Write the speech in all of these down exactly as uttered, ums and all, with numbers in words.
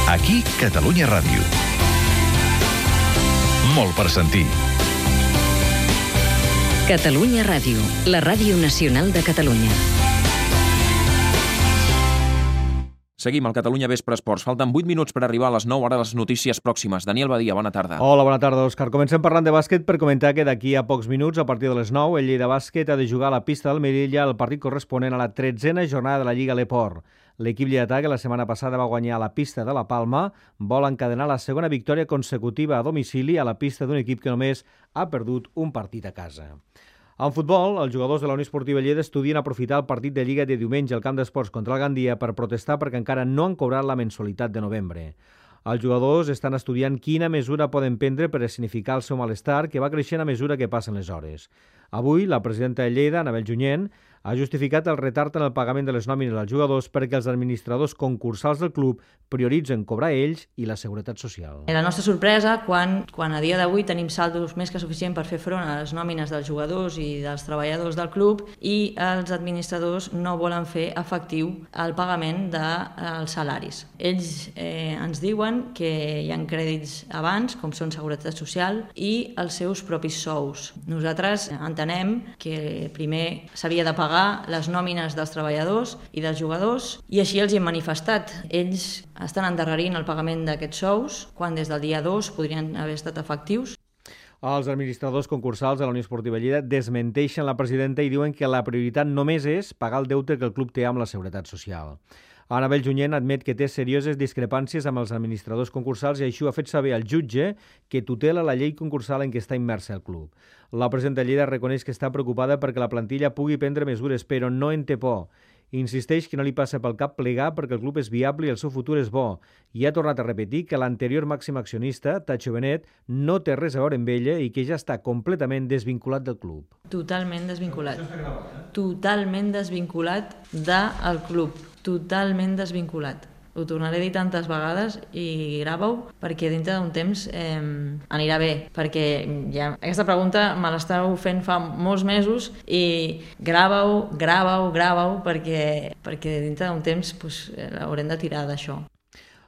Aquí, Catalunya Ràdio. Molt per sentir. Catalunya Ràdio, la ràdio nacional de Catalunya. Seguim al Catalunya Vespre Esports. Falten vuit minuts per arribar a les nou, ara les notícies pròximes. Daniel Badia, bona tarda. Hola, bona tarda, Òscar. Comencem parlant de bàsquet per comentar que d'aquí a pocs minuts, a partir de les nou, el Lleida Bàsquet ha de jugar a la pista del Melilla el partit corresponent a la tretzena jornada de la Lliga Leport. L'equip lleidatà, que la setmana passada va guanyar a la pista de la Palma, vol encadenar la segona victòria consecutiva a domicili a la pista d'un equip que només ha perdut un partit a casa. En futbol, els jugadors de la Unió Esportiva Lleida estudien aprofitar el partit de Lliga de diumenge al Camp d'Esports contra el Gandia per protestar perquè encara no han cobrat la mensualitat de novembre. Els jugadors estan estudiant quina mesura poden prendre per escenificar el seu malestar, que va creixent a mesura que passen les hores. Avui, la presidenta de Lleida, Anabel Junyent, ha justificat el retard en el pagament de les nòmines als jugadors perquè els administradors concursals del club prioritzen cobrar ells i la seguretat social. La nostra sorpresa, quan, quan a dia d'avui tenim saldos més que suficient per fer front a les nòmines dels jugadors i dels treballadors del club, i els administradors no volen fer efectiu el pagament dels salaris. Ells eh, ens diuen que hi ha crèdits abans, com són seguretat social, i els seus propis sous. Nosaltres entenem que primer s'havia de pagar les nòmines dels treballadors i dels jugadors, i així els hi hem manifestat. Ells estan endarrerint el pagament d'aquests sous, quan des del dia dos podrien haver estat efectius. Els administradors concursals de la Unió Esportiva Lleida desmenteixen la presidenta i diuen que la prioritat només és pagar el deute que el club té amb la seguretat social. Anabel Junyent admet que té serioses discrepàncies amb els administradors concursals i així ho ha fet saber al jutge que tutela la llei concursal en què està immersa el club. La presidenta Lleida reconeix que està preocupada perquè la plantilla pugui prendre mesures, però no en té por. Insisteix que no li passa pel cap plegar perquè el club és viable i el seu futur és bo. I ha tornat a repetir que l'anterior màxim accionista, Tacho Benet, no té res a veure amb ella i que ja està completament desvinculat del club. Totalment desvinculat. Totalment desvinculat del club. Totalment desvinculat. Ho tornaré a dir tantes vegades i grava-ho perquè dintre d'un temps eh, anirà bé, perquè ja, aquesta pregunta me l'estàu fent fa molts mesos i grava-ho, grava-ho, grava-ho perquè, perquè dintre d'un temps pues, haurem de tirar d'això.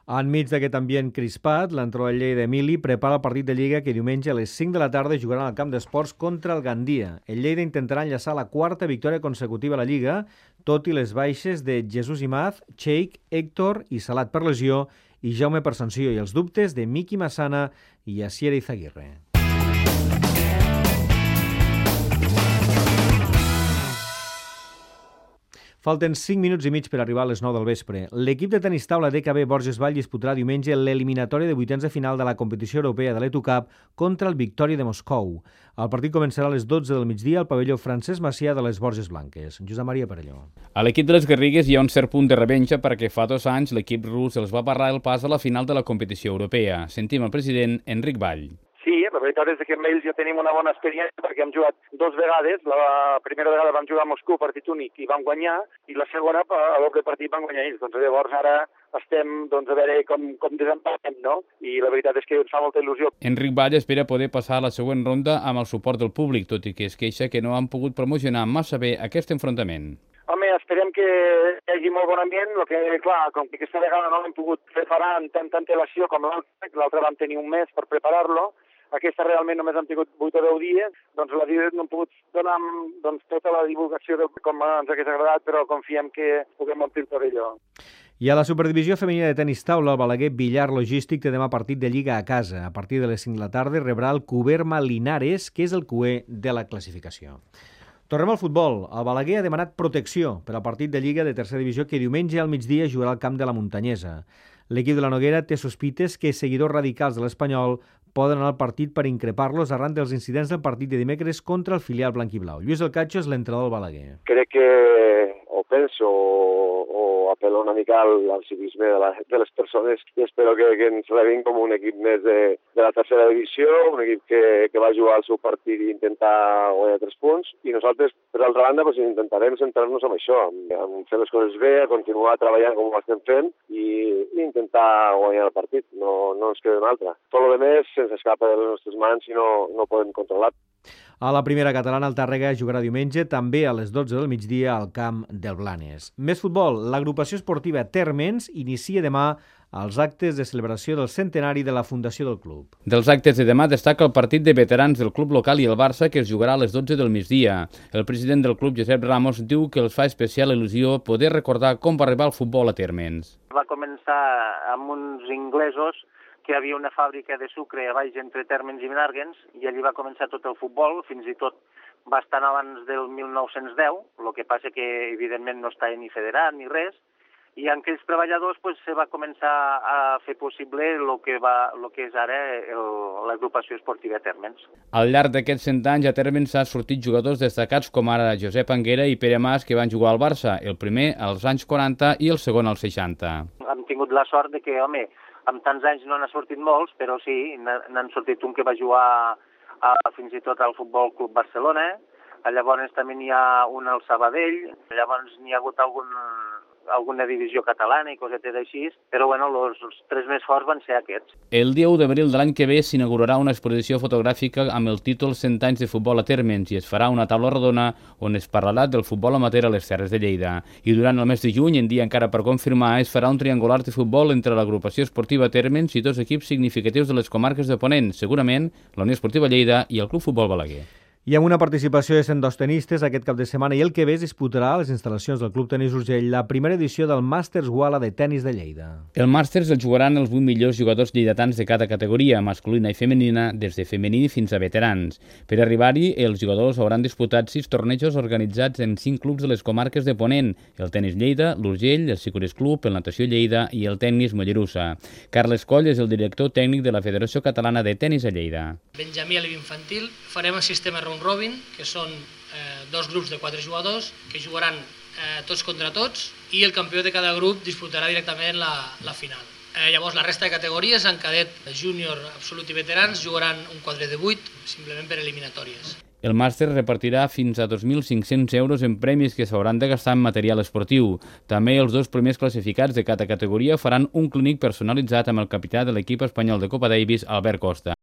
Enmig d'aquest ambient crispat, l'entrenador del Lleida, Emili, prepara el partit de Lliga que diumenge a les cinc de la tarda jugaran al Camp d'Esports contra el Gandia. El Lleida intentarà enllaçar la quarta victòria consecutiva a la Lliga, tot i les baixes de Jesús Imaz, Cheik, Héctor i Salat per lesió i Jaume per sanció, i els dubtes de Miki Massana i Asier Izaguirre. Falten cinc minuts i mig per arribar a les nou del vespre. L'equip de tenis taula D K B Borges Vall disputarà diumenge l'eliminatòria de vuitens de final de la competició europea de l'E T U Cup contra el Victòria de Moscou. El partit començarà a les dotze del migdia al pavelló Francesc Macià de les Borges Blanques. Josep Maria Perelló. A l'equip de les Garrigues hi ha un cert punt de revenja perquè fa dos anys l'equip rus els va barrar el pas a la final de la competició europea. Sentim el president Enric Vall. Sí, la veritat és que amb ells ja tenim una bona experiència perquè hem jugat dos vegades. La primera vegada vam jugar a Moscou, partit únic, i vam guanyar, i la segona, a doble partit, van guanyar ells. Doncs llavors ara estem doncs, a veure com, com desempatem, no? I la veritat és que ens fa molta il·lusió. Enric Vall espera poder passar a la següent ronda amb el suport del públic, tot i que es queixa que no han pogut promocionar massa bé aquest enfrontament. Home, esperem que hi hagi molt bon ambient, el que, clar, com que aquesta vegada no l'hem pogut preparar amb tanta antelació com l'altra, l'altra vam tenir un mes per preparar-lo, aquesta realment només hem tingut vuit o deu dies, doncs la no hem pogut donar doncs, tota la divulgació de com ens hagués agradat, però confiem que puguem omplir el pavelló. I a la Superdivisió Femenina de Tenis Taula, el Balaguer Villar Logístic té demà partit de Lliga a casa. A partir de les cinc de la tarda rebrà el Cuberma Linares, que és el cuer de la classificació. Tornem al futbol. El Balaguer ha demanat protecció per al partit de Lliga de tercera divisió que diumenge al migdia jugarà al camp de la Muntanyesa. L'equip de la Noguera té sospites que seguidors radicals de l'Espanyol poden anar al partit per increpar-los arran dels incidents del partit de dimecres contra el filial blanquiblau. Lluís El Catxo és l'entrenador del Balaguer. Crec que o penso o, o apel·lo una mica al, al civisme de, la, de les persones i espero que, que ens rebin com un equip més de, de la tercera divisió, un equip que, que va jugar al seu partit i intentar guanyar tres punts, i nosaltres, per l'altra banda, pues, intentarem centrar-nos en això, en, en fer les coses bé, a continuar treballant com ho estem fent i, i intentar guanyar el partit, no, no ens queda una altra. Tot el més se'ns escapa de les nostres mans i no, no podem controlar. A la primera catalana, el Tàrrega jugarà diumenge, també a les dotze del migdia, al camp del Blanes. Més futbol. L'agrupació esportiva Térmens inicia demà als actes de celebració del centenari de la fundació del club. Dels actes de demà destaca el partit de veterans del club local i el Barça, que es jugarà a les dotze del migdia. El president del club, Josep Ramos, diu que els fa especial il·lusió poder recordar com va arribar el futbol a Térmens. Va començar amb uns inglesos que hi havia una fàbrica de sucre a baix entre Térmens i Menàrguens, i allí va començar tot el futbol, fins i tot bastant abans del mil nou-cents deu, el que passa que evidentment no estava ni federat ni res, i en aquells treballadors pues, se va començar a fer possible el que, va, el que és ara l'agrupació esportiva Térmens. Al llarg d'aquests cent anys a Térmens s'han sortit jugadors destacats com ara Josep Anguera i Pere Mas, que van jugar al Barça, el primer als anys quaranta i el segon als seixanta. Hem tingut la sort de que, home, amb tants anys no n'ha sortit molts, però sí, n'han sortit un que va jugar a, fins i tot al Futbol Club Barcelona, llavors també n'hi ha un al Sabadell, llavors n'hi ha hagut algun... alguna divisió catalana i cosetes així, però bueno, els, els tres més forts van ser aquests. El dia u d'abril de l'any que ve s'inaugurarà una exposició fotogràfica amb el títol cent anys de futbol a Térmens i es farà una taula rodona on es parlarà del futbol amateur a les Terres de Lleida. I durant el mes de juny, en dia encara per confirmar, es farà un triangular de futbol entre l'agrupació esportiva Térmens i dos equips significatius de les comarques de Ponent, segurament la Unió Esportiva Lleida i el Club Futbol Balaguer. I amb una participació de cent dos tenistes aquest cap de setmana i el que ve es disputarà a les instal·lacions del Club Tenis Urgell la primera edició del Màsters Wala de Tenis de Lleida. El Màsters el jugaran els vuit millors jugadors lleidatans de cada categoria, masculina i femenina, des de femení fins a veterans. Per arribar-hi, els jugadors hauran disputat sis tornejos organitzats en cinc clubs de les comarques de Ponent, el Tenis Lleida, l'Urgell, el Sicures Club, el Natació Lleida i el Tenis Mollerussa. Carles Coll és el director tècnic de la Federació Catalana de Tenis a Lleida. Benjamí a l'infantil farem el sistema round robin, que són eh, dos grups de quatre jugadors que jugaran eh, tots contra tots i el campió de cada grup disputarà directament la, la final. Eh, llavors la resta de categories, en cadet, júnior, absolut i veterans, jugaran un quadre de vuit, simplement per eliminatòries. El màster repartirà fins a dos mil cinc-cents euros en premis que s'hauran de gastar en material esportiu. També els dos primers classificats de cada categoria faran un clínic personalitzat amb el capità de l'equip espanyol de Copa Davis, Albert Costa.